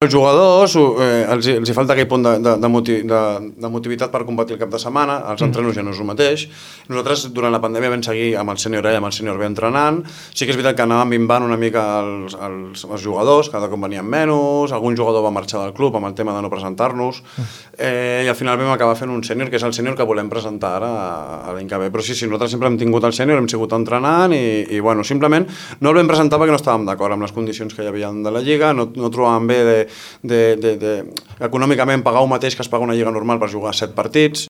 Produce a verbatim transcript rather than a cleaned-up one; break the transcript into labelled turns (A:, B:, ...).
A: Els jugadors eh, els, els hi falta aquell punt de, de, de, motiv, de, de motivitat per competir el cap de setmana, els entrenos ja no és el mateix. Nosaltres durant la pandèmia vam seguir amb el sènior A i amb el sènior B entrenant. Sí que és veritat que anàvem minvant una mica els, els, els jugadors, cada cop venien menys, algun jugador va marxar del club amb el tema de no presentar-nos, eh, i al final vam acabar fent un sènior, que és el sènior que volem presentar ara a, a l'any que ve. Però sí, sí, nosaltres sempre hem tingut el sènior, hem sigut entrenant i, i bueno, simplement no el vam presentar perquè no estàvem d'acord amb les condicions que hi havia de la Lliga, no, no trobàvem bé de De, de, de, econòmicament pagar el mateix que es paga una lliga normal per jugar set partits.